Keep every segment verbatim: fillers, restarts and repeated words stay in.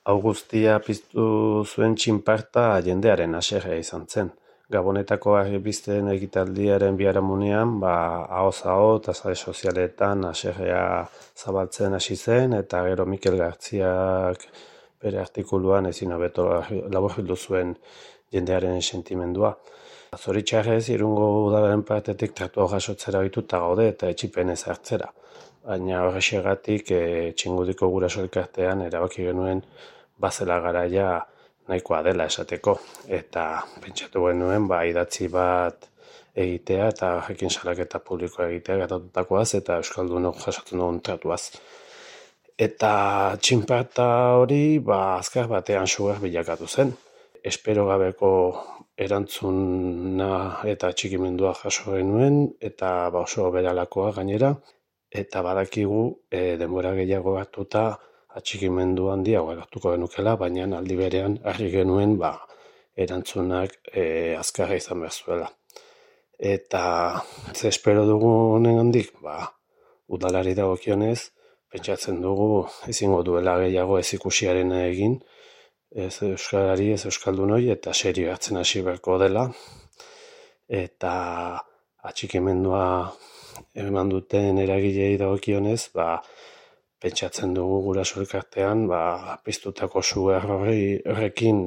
Hau guztia piztu zuen txinparta jendearen haserrea izan zen. Gabonetako argibisten egitaldiaren biharamunean, ba, ahoz aho eta sare sozialetan haserrea zabaltzen hasi zen, eta gero Mikel Gartziak bere artikuluan ezin hobeto laburbildu zuen jendearen sentimendua. Zoritxarrez, Irungo udalaren partetik tratua jasotzera ohituta gaude eta etsipenez hartzera. Baina horrexegatik e, txingudiko guraso elkartean erabaki genuen bazela garaia nahikoa dela esateko. Eta pentsatu genuen ba, idatzi bat egitea eta jakin salaketa publikoa egitea gertatutakoaz eta euskaldunok jasotzen dugun tratuaz. Eta txinparta hori ba, azkar batean sugar bilakatu zen. Espero gabeko erantzuna eta atxikimendua jaso genuen eta ba, oso beralakoa gainera. Eta badakigu e, denbora gehiago hartuta atxikimendu handiago hartuko genukela, baina aldi berean argi genuen ba, erantzunak e, azkarra izan behar zuela. Eta ze espero dugu honen handik, ba, udalari dagokionez, pentsatzen dugu ezingo duela gehiago ez ikusiaren egin, ez euskarari, ez euskaldunoi, eta serio hartzen hasi beharko dela. Eta atxikimendua eman duten eragilei dagokionez, ba, pentsatzen dugu guraso elkartean, ba, piztutako su errori horrekin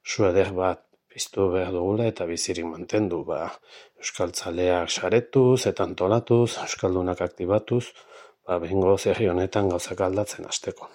su eder bat piztu behar dugula eta bizirik mantendu. Ba, euskaltzaleak saretuz eta antolatuz, euskaldunak aktibatuz, ba, behingo herri honetan gauzak aldatzen hasteko.